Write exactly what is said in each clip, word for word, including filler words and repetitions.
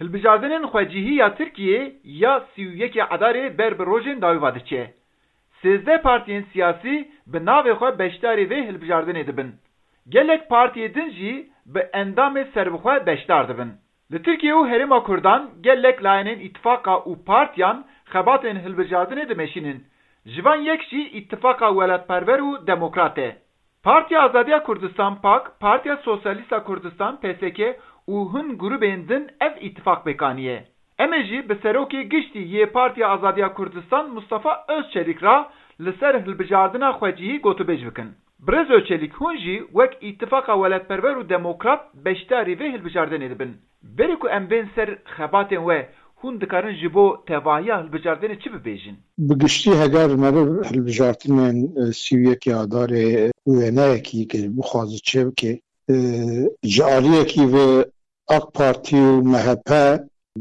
Hilbijardinên xwecihî ya Tirkiyê ya sî û yekê Edarê ber bi rojên dawî ve diçe. Sêzdeh partiyên siyasî bi navê xwe beşdarî vê hilbijardinê dibin. Gelek partiyê din jî bi endamê serbixwe beşdar dibin. Li Tirkiye û Herêma Kurdan gelek layenên îtifaqa û partiyan xebatên hilbijardinê dimeşînin. Ji van yek jî Îtifaqa Welatperwer û Demokrat e. Partiya Azadiya Kurdistan, pak, Partiya Sosyalîst a Kurdistan, P S K, û hin grûbên din ev îtifaq pêk aniye. Em ê jî bi serokê giştî yê Partiya Azadiya Kurdistan Mustafa Özçelîk re li ser hilbijardina xwecihî gotûbêj bikin. Birêz Özçelîk, hûn jî wek Îtifaqa Welatperwer û Demokrat beşdarî vê hilbijardinê dibin. Berê ku em bên ser xebatên we, hûn dikarin ji bo tevahiya hilbijardinê çi bibêjin? Bi giştî heger meriv hilbijartinên, e, sî û yekê Adarê wêneyekî ku bixwaze çêbike, e, ji aliyekî ve AK Partî û M H P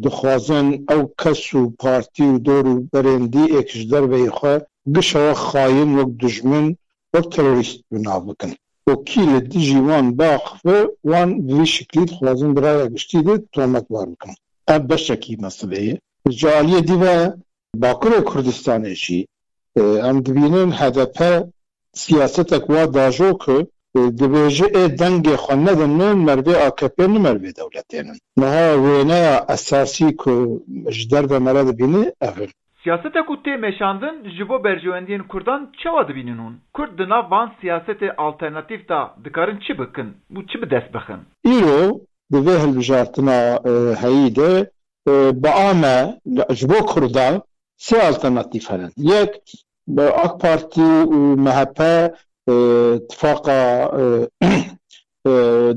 dixwazin ew kes û partî û dor û berên dî ê ku ji derveyî xwe gişa we xayîn, wek dijmin, wek terorîst bi nav bikin. Û kî li dijî wan biaxive, wan bi vî şiklî dixwazin bi raya giştî de tometbar bikin. Ev beşekî mesele ye. Ji aliyê dî ve Bakurê Kurdistanê jî, e, em dibînin H D P siyasetek wa dajo ku, e, dibêje ê dengê xwe nedin min, mervê A K P ne mervê dewletê nin. Niha wêneya esasî ku ji derve me re dibîne ev in. Siyasetek ku tê meşandin ji bo berjewendiyên Kurdan çawa dibînin hûn? Kurd di nav van siyasetê alternatîf de dikarin çi bikin û çi bi dest bixin? Îro di vê hilbijartina, e, heyî de, e, bi ame ji bo Kurdan sê alternatîf hene. Yek, bi AK Partî û M H P, e, tifaqa, e, e,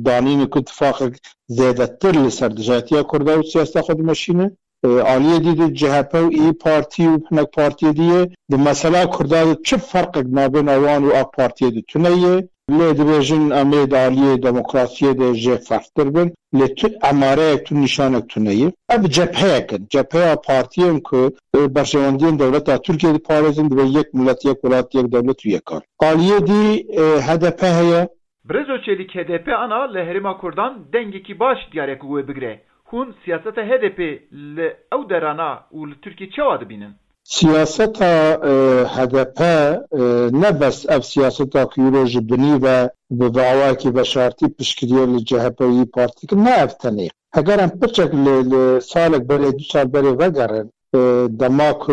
danîne ku tifaqek zêdetir li ser dijayetiya Kurda û siyaseta xwe dimeşîne. E, aliyê dî de C H P û İYİ Partî û hinek partiyê dî ye. Di mesela Kurda de çi ferqek nabêna wan û AK Partiyê de tune ye. Lê dibêjin em ê di aliyê demokrasiyê de jê ferqtir bin. Lê tu emareyek, tu nîşanek tune ye. Ev cepheyek in. Cepheya partiyên ku, e, berjewendiyên dewleta Tirkiyê diparêzin, dibe yek milet, yek welat, yek dewlet û yek kar. Aliyê dî, e, H D P heye. Birêz Özçelîk, H D P ana li Herêma Kurdan dengekî baş diyar e ku wê bigire. Hûn siyaseta H D P li ew derana û li Tirkiyê çawa dibînin? Siyaseta, e, H D P, e, ne bes ev siyaseta ku îro ji binî ve bi, bi awayekî veşartî piştgiriyê li C H P û İYİ Partî kir, ne ev tenê. Heger em piçek li, li salek berê, du sal berê vegerin, e, dema ku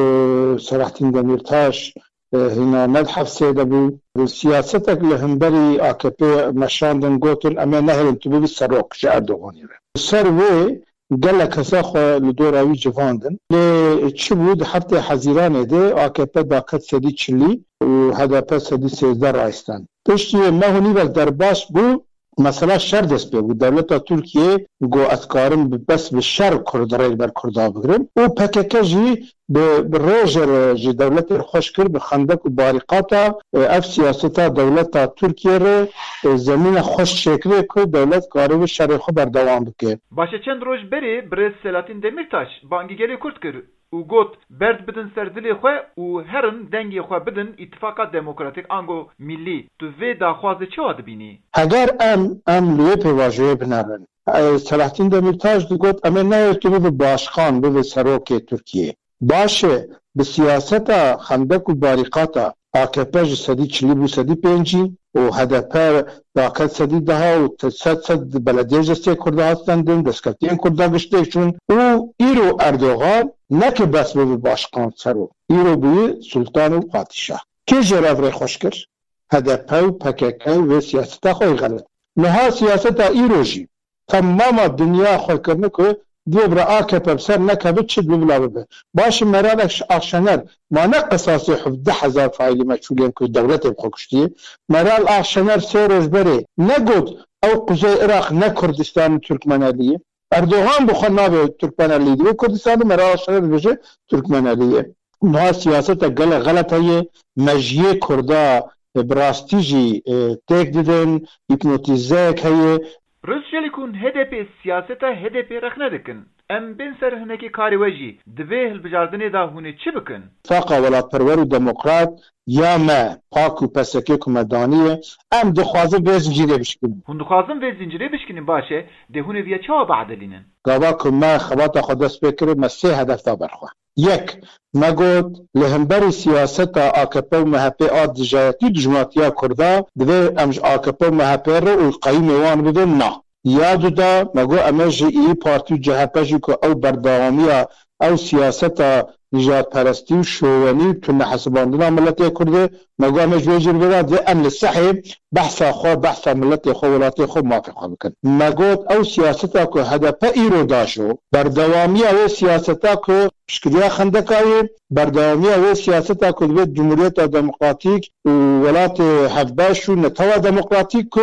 Selahattin Demirtaş, e, hîna ne di hefsê de bû, siyasetek li hemberî A K P meşandin, gotin, em ê nehêlin tu bibî serok ji Erdoganî re. Li ser wê gelek kesa xwe li dora wî civandin. Lê çi bû, di heftê Hezîranê de A K P daket sedî çilî û H D P sedî sêzdeh raystand. Piştî wê meh û nîvek derbas bû, mesela şer dest pê bû. Dewleta Tirkiyê got, ez karim bi, bes bi şer Kurd, rê li ber Kurda bigirim. Û P K K jî bi, bi rojê re ji dewletê re xweş kir, bi xendek û barîqata, e, ev siyaseta dewleta Tirkiyê re, e, zemîna xweş çêkirê ku dewlet karibe şerê xwe berdewam bike. Baş e, çend roj berê birêz Selahattin Demirtaş bangî gelê Kurd kir û got, berd bidin ser dilê xwe û herin dengê xwe bidin Îtifaqa Demokratîk ango Millî. Tu vê daxwazê çawa dibînî? Heger em, em li wê pêvajoyê binerin, e, Selahattin Demirtaş digot, em ê nehêlin tu bibe başkan, bibe serokê Tirkiyê. Baş e, bi siyaseta xendek û barîqata A K P ji sedî çilî bû sedî pêncî û H D P daket sedî deha û te-, sed, sed belediyê ji destê Kurda hat stendin, destkeftiyên Kurda giştê çûn û îro Erdogan neke bes bibe başkan serok, îro bûye sultan û padîşah. Kê jê re ev rê xweş kir? H D P û P K K û vê siyaseta xwe yê xelet. Niha siyaseta îro jî temama dinya xwe kirine ku divê bi re A K P bi ser nekeve, çi dibe bila bibe. Baş e, Meral Akş-, Akşener ma ne qisasê hevdeh hezar faîlî meçhûlên ku dewletê bi xwe kuştiye. Meral Akşener sê roj berê negot ew Quzey Iraq ne Kurdistan û Tirkmenelî ye. Erdogan bi xwe navê Tirkmenelî, divê Kurdistan û Meral Akşener dibêje Tirkmenelî ye. Niha siyaseta gelek xelet heye, mejiyê Kurda, e, bi rastî jî, e, têk didin, hîpnotîzeyek heye. Roj Çelîk hûn H D P siyaseta H D P rexne dikin. Em bên ser hinekî karê we jî. Di vê hilbijardinê de hûn ê çi bikin? Tifaqa welatperwer û demokrat ya me, pak û P S K ku me daniye, em dixwazin vê zincîrê bişkînin. Hûn dixwazin vê zincîrê bişkînin, baş e. Dê hûn ê viya çawa biedilînin? Gava ku me xebata xwe dest pê kir, me sê hedef da ber xwe. Yek, me got, li hemberî siyaseta A K P û M H P a dijayetî û dijminatiya Kurda, divê em ji A K P û M H P re û qeyûmê wan bidin, na. Ya du de, me got, em ê ji İYİ Partî û C H P jî ku ew berdewamiya ew siyaseta nîjadperestî û şowenî û tunehesibandina miletê Kurd e, me got, em ê ji wê jî li vê re divê em li sehê behsa xwe, behsa miletê xwe, welatê xwe, mafê xwe bikin. Me got, ew siyaseta ku H D P îro dajo, berdewamiya wê siyaseta ku piştgiriya xendeka ye, berdewamiya wê siyaseta ku divê Cumhuriyeta Demokratîk û welatê hevbeş û netewa demokratîk ku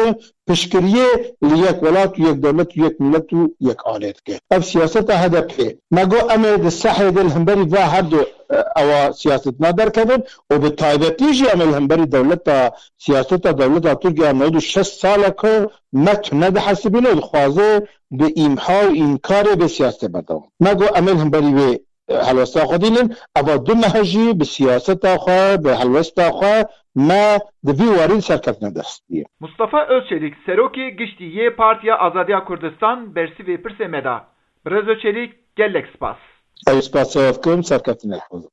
piştgiriyê li yek welat û yek dewlet û yek milet û yek alê dike. Ev siyaseta H D P. Me got, em ê di sehê de li hemberî va her du, e, ewa siyasetina derkevin û bi taybetî jî em ê li hemberî dewleta, siyaseta dewleta Tirkiye nod û şeş sal e ku me tune dihesibîne û dixwaze bi îmha û înkarê vê siyasetê berdewam. Me got, em ê li hemberî wê helwesta xwe dînin, eva du meh jî bi siyaseta xwe, bi helwesta xwe me di vî warî li ser ketine destî. Mustafa Özçelik, serokê giştî yê Partiya Azadiya Kurdistan, bersîvê pirsê me da. Birêz Özçelik, gelek spas. Ez spas dikim, serkeftinê xwe.